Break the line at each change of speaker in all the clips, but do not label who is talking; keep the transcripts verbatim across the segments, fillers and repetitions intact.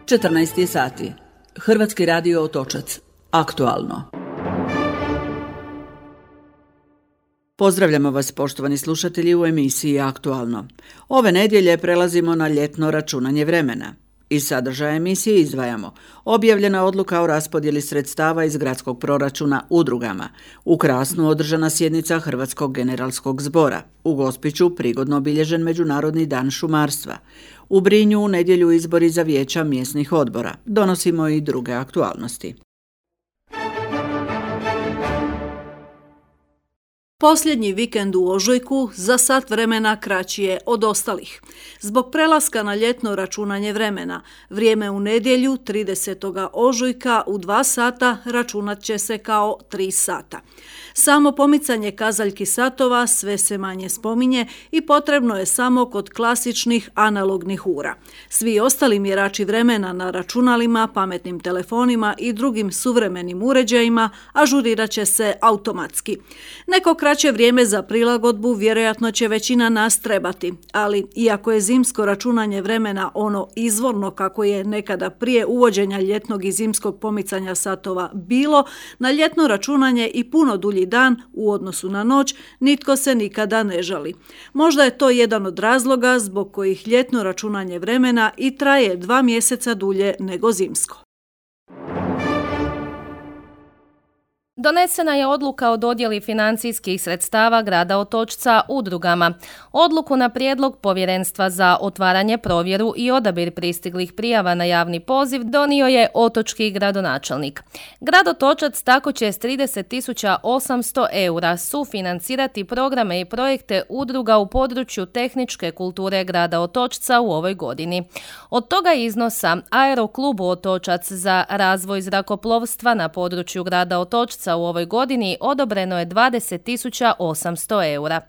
četrnaest sati. Hrvatski radio Otočac. Aktualno. Pozdravljamo vas, poštovani slušatelji, u emisiji Aktualno. Ove nedjelje prelazimo na ljetno računanje vremena. Iz sadržaja emisije izdvajamo objavljena odluka o raspodjeli sredstava iz gradskog proračuna udrugama, u Krasnu održana sjednica Hrvatskog generalskog zbora, u Gospiću prigodno obilježen Međunarodni dan šumarstva, u Brinju u nedjelju izbori za vijeća mjesnih odbora. Donosimo i druge aktualnosti.
Posljednji vikend u ožujku za sat vremena kraći je od ostalih. Zbog prelaska na ljetno računanje vremena, vrijeme u nedjelju tridesetog ožujka u dva sata računat će se kao tri sata. Samo pomicanje kazaljki satova sve se manje spominje i potrebno je samo kod klasičnih analognih ura. Svi ostali mjerači vremena na računalima, pametnim telefonima i drugim suvremenim uređajima ažurirat će se automatski. Neko kraće vrijeme za prilagodbu vjerojatno će većina nas trebati, ali iako je zimsko računanje vremena ono izvorno kako je nekada prije uvođenja ljetnog i zimskog pomicanja satova bilo, na ljetno računanje i puno dulji dan u odnosu na noć nitko se nikada ne žali. Možda je to jedan od razloga zbog kojih ljetno računanje vremena i traje dva mjeseca dulje nego zimsko.
Donesena je odluka o dodjeli financijskih sredstava grada Otočca udrugama. Odluku na prijedlog Povjerenstva za otvaranje, provjeru i odabir pristiglih prijava na javni poziv donio je otočki gradonačelnik. Grad Otočac tako će s trideset tisuća osamsto eura sufinancirati programe i projekte udruga u području tehničke kulture grada Otočca u ovoj godini. Od toga iznosa Aeroklubu Otočac za razvoj zrakoplovstva na području grada Otočca u ovoj godini odobreno je dvadeset tisuća osamsto eura.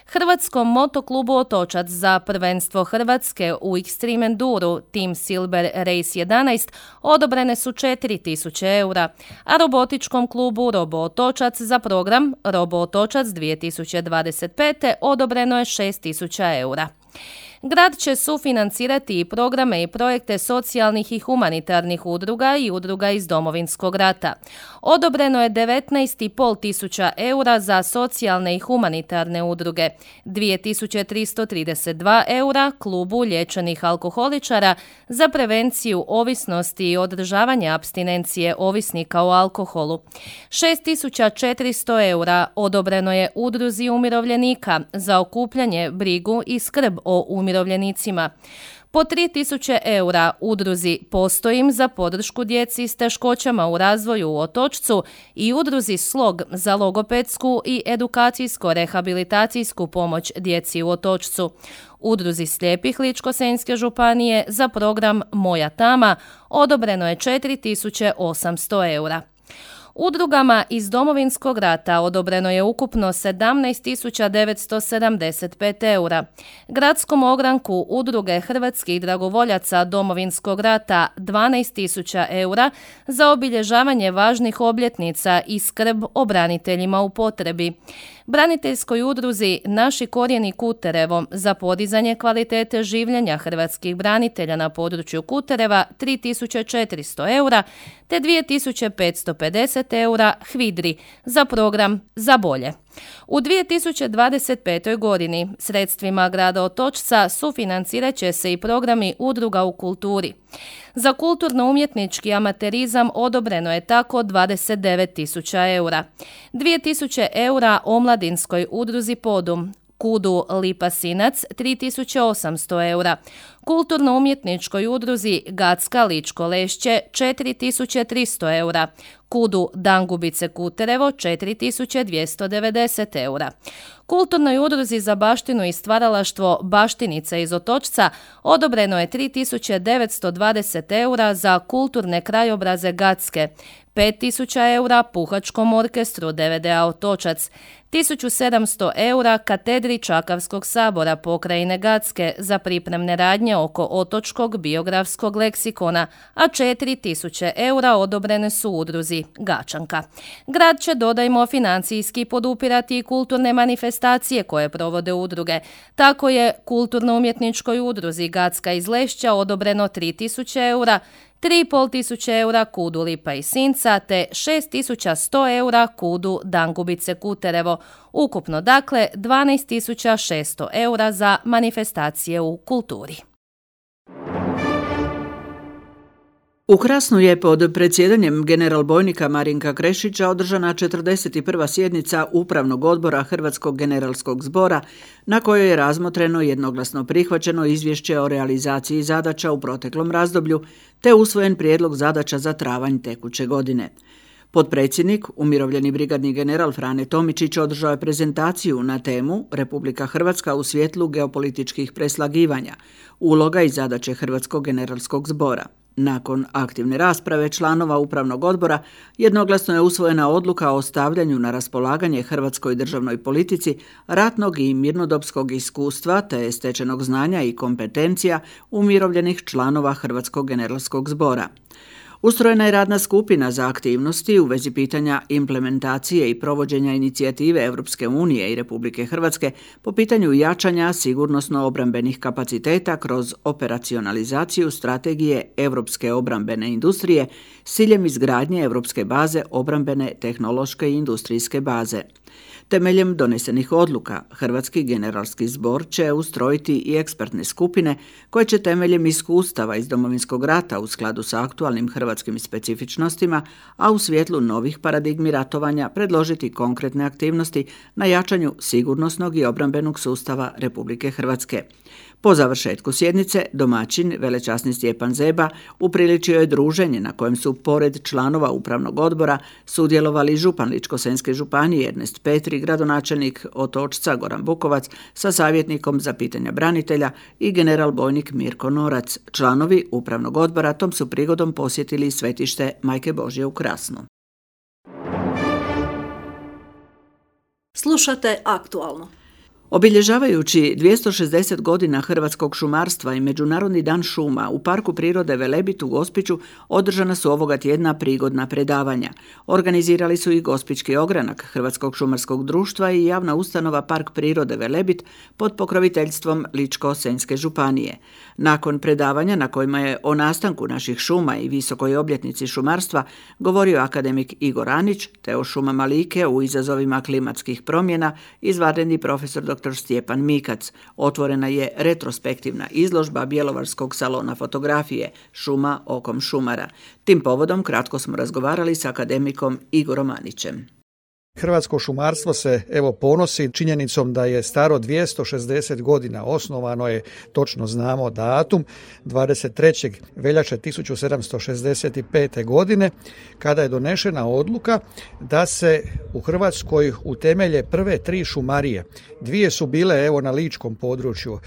Hrvatskom motoklubu Otočac za prvenstvo Hrvatske u Extreme Enduru Team Silver Race jedanaest odobrene su četiri tisuće eura, a robotičkom klubu Robo Otočac za program Robo Otočac dvije tisuće dvadeset pete odobreno je šest tisuća eura. Grad će sufinancirati i programe i projekte socijalnih i humanitarnih udruga i udruga iz Domovinskog rata. Odobreno je devetnaest i pol tisuća eura za socijalne i humanitarne udruge, dvije tisuće tristo trideset dva eura klubu liječenih alkoholičara za prevenciju ovisnosti i održavanje apstinencije ovisnika o alkoholu. šest tisuća četiristo eura odobreno je udruzi umirovljenika za okupljanje, brigu i skrb o umirovljenicima. Po tri tisuće eura udruzi Postojim za podršku djeci s teškoćama u razvoju u Otočcu i udruzi Slog za logopedsku i edukacijsko-rehabilitacijsku pomoć djeci u Otočcu. Udruzi slijepih Ličko-senjske županije za program Moja tama odobreno je četiri tisuće osamsto eura. Udrugama iz Domovinskog rata odobreno je ukupno sedamnaest tisuća devetsto sedamdeset pet eura. Gradskom ogranku udruge hrvatskih dragovoljaca Domovinskog rata dvanaest tisuća eura za obilježavanje važnih obljetnica i skrb o braniteljima u potrebi. Braniteljskoj udruzi Naši korijeni Kuterevo za podizanje kvalitete življenja hrvatskih branitelja na području Kutereva tri tisuće četiristo eura te dvije tisuće petsto pedeset eura Hvidri za program Za bolje. U dvije tisuće dvadeset petoj godini sredstvima grada Otočca sufinancirat će se i programi udruga u kulturi. Za kulturno-umjetnički amaterizam odobreno je tako dvadeset devet tisuća eura. dvije tisuće eura omladinskoj udruzi Podum, Kudu Lipa Sinac tri tisuće osamsto eura, kulturno-umjetničkoj udruzi Gacka Ličko Lešće četiri tisuće tristo eura, Kudu Dangubice Kuterevo četiri tisuće dvjesto devedeset eura. Kulturnoj udruzi za baštinu i stvaralaštvo Baštica iz Otočca odobreno je tri tisuće devetsto dvadeset eura za kulturne krajobraze Gacke, pet tisuća eura Puhačkom orkestru D V D A Otočac, tisuću sedamsto eura katedri Čakavskog sabora pokrajine Gacke za pripremne radnje oko otočkog biografskog leksikona, a četiri tisuće eura odobrene su udruzi Gačanka. Grad će, dodajmo, financijski podupirati i kulturne manifestacije koje provode udruge. Tako je kulturno-umjetničkoj udruzi Gacka iz Lešća odobreno tri tisuće eura, tri i pol tisuće eura Kudu Lipa i Sinca te šest tisuća sto eura Kudu Dangubice Kuterevo. Ukupno dakle dvanaest tisuća šesto eura za manifestacije u kulturi.
U Krasnu je pod predsjedanjem generalbojnika Marinka Krešića održana četrdeset prva sjednica Upravnog odbora Hrvatskog generalskog zbora na kojoj je razmotreno jednoglasno prihvaćeno izvješće o realizaciji zadaća u proteklom razdoblju te usvojen prijedlog zadaća za travanj tekuće godine. Potpredsjednik, umirovljeni brigadni general Frane Tomičić održao je prezentaciju na temu Republika Hrvatska u svjetlu geopolitičkih preslagivanja, uloga i zadaće Hrvatskog generalskog zbora. Nakon aktivne rasprave članova Upravnog odbora jednoglasno je usvojena odluka o stavljanju na raspolaganje hrvatskoj državnoj politici ratnog i mirnodopskog iskustva te stečenog znanja i kompetencija umirovljenih članova Hrvatskog generalskog zbora. Ustrojena je radna skupina za aktivnosti u vezi pitanja implementacije i provođenja inicijative Europske unije i Republike Hrvatske po pitanju jačanja sigurnosno-obrambenih kapaciteta kroz operacionalizaciju strategije Europske obrambene industrije s ciljem izgradnje Europske baze obrambene tehnološke i industrijske baze. Temeljem donesenih odluka, Hrvatski generalski zbor će ustrojiti i ekspertne skupine koje će temeljem iskustava iz Domovinskog rata u skladu sa aktualnim hrvatskim specifičnostima, a u svjetlu novih paradigmi ratovanja predložiti konkretne aktivnosti na jačanju sigurnosnog i obrambenog sustava Republike Hrvatske. Po završetku sjednice, domaćin, velečasni Stjepan Zeba, upriličio je druženje na kojem su, pored članova Upravnog odbora, sudjelovali župan Ličko-senjske županije Ernest Petri, gradonačelnik Otočca Goran Bukovac sa savjetnikom za pitanja branitelja i general bojnik Mirko Norac. Članovi Upravnog odbora tom su prigodom posjetili svetište Majke Božje u Krasnu.
Slušate Aktualno.
Obilježavajući dvjesto šezdeset godina hrvatskog šumarstva i Međunarodni dan šuma u Parku prirode Velebit u Gospiću održana su ovoga tjedna prigodna predavanja. Organizirali su i Gospićki ogranak Hrvatskog šumarskog društva i javna ustanova Park prirode Velebit pod pokroviteljstvom Ličko-senjske županije. Nakon predavanja na kojima je o nastanku naših šuma i visokoj obljetnici šumarstva govorio akademik Igor Anić, te o šumama Like u izazovima klimatskih promjena izvanredni profesor dr. Stjepan Mikac. Otvorena je retrospektivna izložba Bjelovarskog salona fotografije Šuma okom šumara. Tim povodom kratko smo razgovarali s akademikom Igorom Anićem.
Hrvatsko šumarstvo se evo ponosi činjenicom da je staro dvjesto šezdeset godina. Osnovano je, točno znamo datum, dvadeset trećeg veljače tisuću sedamsto šezdeset pete. godine, kada je donešena odluka da se u Hrvatskoj utemelje prve tri šumarije. Dvije su bile evo na ličkom području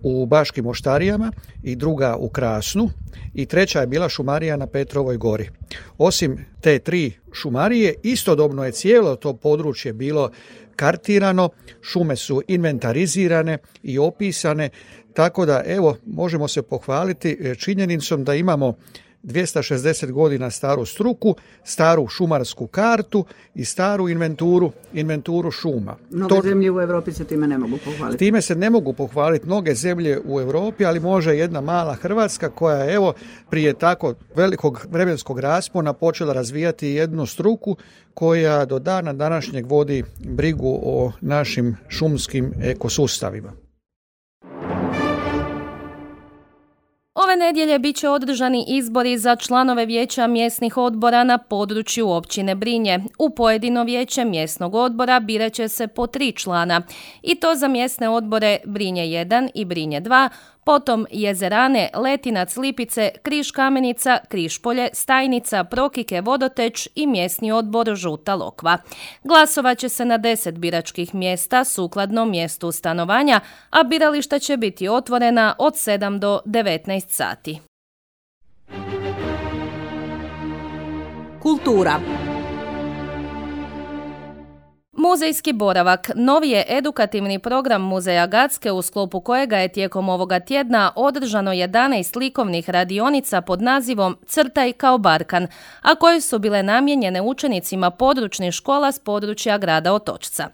u Baškim Oštarijama i druga u Krasnu i treća je bila šumarija na Petrovoj gori. Osim te tri šumarije, istodobno je cijelo to područje bilo kartirano, šume su inventarizirane i opisane, tako da evo možemo se pohvaliti činjenicom da imamo dvjesto šezdeset godina staru struku, staru šumarsku kartu i staru inventuru, inventuru šuma.
Mnoge to, zemlje u Europi se time ne mogu pohvaliti.
Time se ne mogu pohvaliti mnoge zemlje u Europi, ali može jedna mala Hrvatska koja je evo prije tako velikog vremenskog raspona počela razvijati jednu struku koja do dana današnjeg vodi brigu o našim šumskim ekosustavima.
Ove nedjelje bit će održani izbori za članove vijeća mjesnih odbora na području općine Brinje. U pojedino vijeće mjesnog odbora birat će se po tri člana i to za mjesne odbore Brinje jedan i Brinje dva, potom Jezerane, Letinac, Lipice, Križ Kamenica, Križpolje, Stajnica, Prokike, Vodoteć i mjesni odbor Žuta Lokva. Glasovat će se na deset biračkih mjesta sukladno mjestu stanovanja, a birališta će biti otvorena od sedam do devetnaest sati.
Kultura.
Muzejski boravak novi je edukativni program Muzeja Gacke u sklopu kojega je tijekom ovoga tjedna održano jedanaest likovnih radionica pod nazivom Crtaj kao Barkan, a koje su bile namijenjene učenicima područnih škola s područja grada Otočca.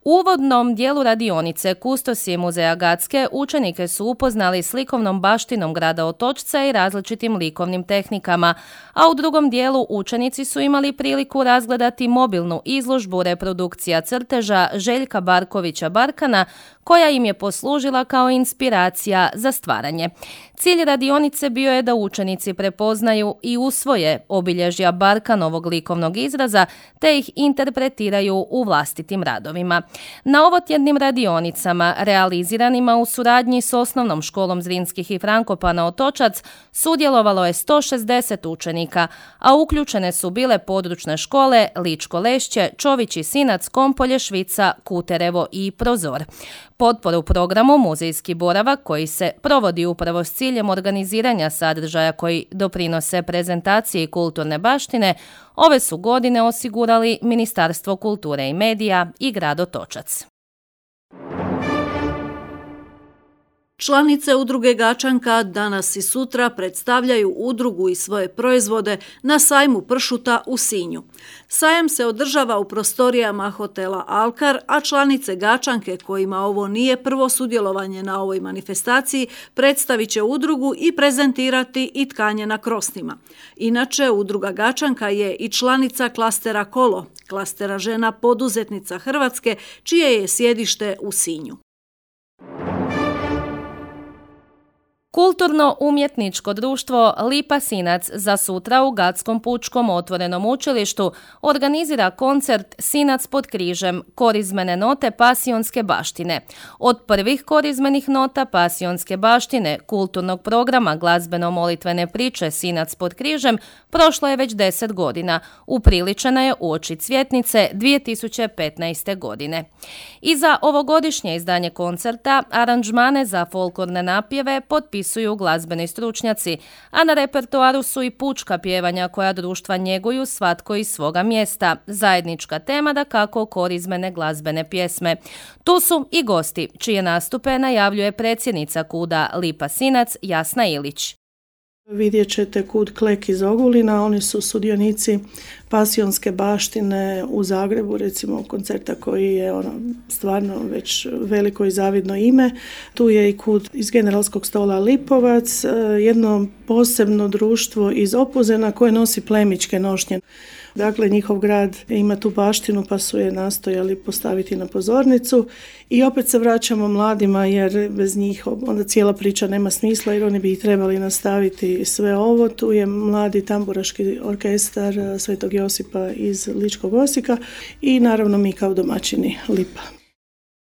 U uvodnom dijelu radionice Kustosije Muzeja Gacke učenike su upoznali s likovnom baštinom grada Otočca i različitim likovnim tehnikama, a u drugom dijelu učenici su imali priliku razgledati mobilnu izložbu reprodukcija crteža Željka Barkovića Barkana, koja im je poslužila kao inspiracija za stvaranje. Cilj radionice bio je da učenici prepoznaju i usvoje obilježja Barkanovog likovnog izraza te ih interpretiraju u vlastitim radovima. Na ovotjednim radionicama, realiziranima u suradnji s Osnovnom školom Zrinskih i Frankopana Otočac, sudjelovalo je sto šezdeset učenika, a uključene su bile područne škole Ličko Lešće, Čović i Sinac, Kompolje, Švica, Kuterevo i Prozor. Potporu programu Muzejski boravak, koji se provodi upravo s ciljem organiziranja sadržaja koji doprinose prezentaciji kulturne baštine, ove su godine osigurali Ministarstvo kulture i medija i grad Otočac.
Članice udruge Gačanka danas i sutra predstavljaju udrugu i svoje proizvode na sajmu pršuta u Sinju. Sajam se održava u prostorijama hotela Alkar, a članice Gačanke, kojima ovo nije prvo sudjelovanje na ovoj manifestaciji, predstavit će udrugu i prezentirati i tkanje na krostima. Inače, udruga Gačanka je i članica klastera Kolo, klastera žena poduzetnica Hrvatske, čije je sjedište u Sinju.
Kulturno-umjetničko društvo Lipa Sinac za sutra u Gatskom pučkom otvorenom učilištu organizira koncert Sinac pod križem, korizmene note pasionske baštine. Od prvih korizmenih nota pasionske baštine kulturnog programa glazbeno-molitvene priče Sinac pod križem prošlo je već deset godina. Upriličena je uoči Cvjetnice dvije tisuće petnaeste. godine. I za ovogodišnje izdanje koncerta aranžmane za folklorne napjeve potpisali su glazbeni stručnjaci, a na repertoaru su i pučka pjevanja koja društva njeguju svatko iz svoga mjesta. Zajednička tema dakako korizmene glazbene pjesme. Tu su i gosti, čije nastupe najavljuje predsjednica KUD-a Lipa Sinac Jasna Ilić.
Vidjet ćete KUD Klek iz Ogulina, oni su sudionici pasionske baštine u Zagrebu, recimo koncerta koji je ono stvarno već veliko i zavidno ime. Tu je i KUD iz Generalskog stola Lipovac, jedno posebno društvo iz Opuzena koje nosi plemićke nošnje. Dakle, njihov grad ima tu baštinu pa su je nastojali postaviti na pozornicu i opet se vraćamo mladima jer bez njih onda cijela priča nema smisla jer oni bi trebali nastaviti sve ovo. Tu je mladi tamburaški orkestar Svetog Josipa iz Ličkog Osijeka i naravno mi kao domaćini Lipa.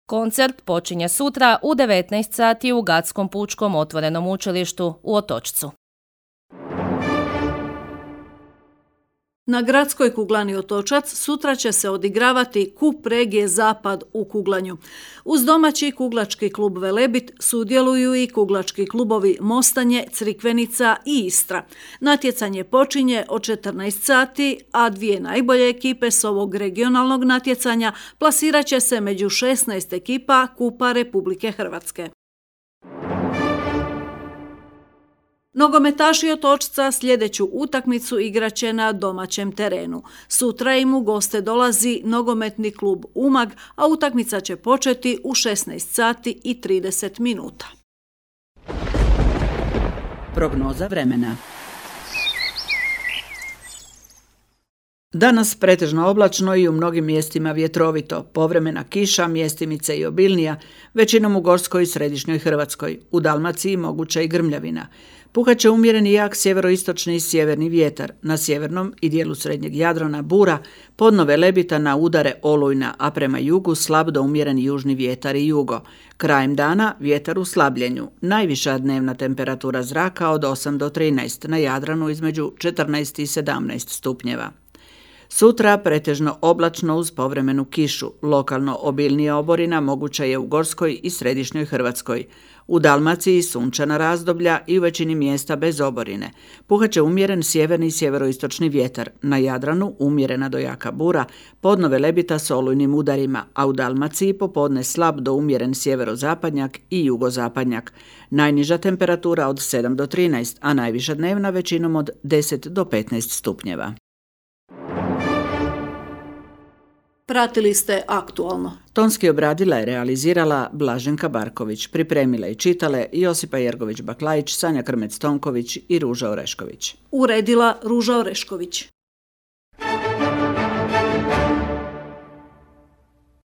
Koncert počinje sutra u devetnaest sati u Gatskom pučkom otvorenom učilištu u Otočcu.
Na gradskoj kuglani Otočac sutra će se odigravati kup regije Zapad u kuglanju. Uz domaći kuglački klub Velebit sudjeluju i kuglački klubovi Mostanje, Crikvenica i Istra. Natjecanje počinje od četrnaest sati, a dvije najbolje ekipe s ovog regionalnog natjecanja plasirat će se među šesnaest ekipa Kupa Republike Hrvatske. Nogometaši Otočca sljedeću utakmicu igraće na domaćem terenu. Sutra im u goste dolazi nogometni klub Umag, a utakmica će početi u šesnaest sati i trideset minuta.
Prognoza vremena. Danas pretežno oblačno i u mnogim mjestima vjetrovito, povremena kiša, mjestimice i obilnija, većinom u Gorskoj i Središnjoj Hrvatskoj, u Dalmaciji moguća i grmljavina. Puhat će umjereni jak sjeveroistočni i sjeverni vjetar, na sjevernom i dijelu srednjeg Jadrana bura, podnove Lebita na udare olujna, a prema jugu slab do umjereni južni vjetar i jugo. Krajem dana vjetar u slabljenju, najviša dnevna temperatura zraka od osam do trinaest, na Jadranu između četrnaest i sedamnaest stupnjeva. Sutra pretežno oblačno uz povremenu kišu. Lokalno obilnija oborina moguća je u Gorskoj i Središnjoj Hrvatskoj. U Dalmaciji sunčana razdoblja i u većini mjesta bez oborine. Puhaće umjeren sjeverni i sjeveroistočni vjetar. Na Jadranu umjerena do jaka bura, podno Velebita s olujnim udarima, a u Dalmaciji popodne slab do umjeren sjeverozapadnjak i jugozapadnjak. Najniža temperatura od sedam do trinaest, a najviša dnevna većinom od deset do petnaest stupnjeva.
Pratili ste Aktualno.
Tonski obradila je realizirala Blaženka Barković, pripremila i čitale Josipa Jergović-Baklajić, Sanja Krmec-Tonković i Ruža Orešković.
Uredila Ruža Orešković.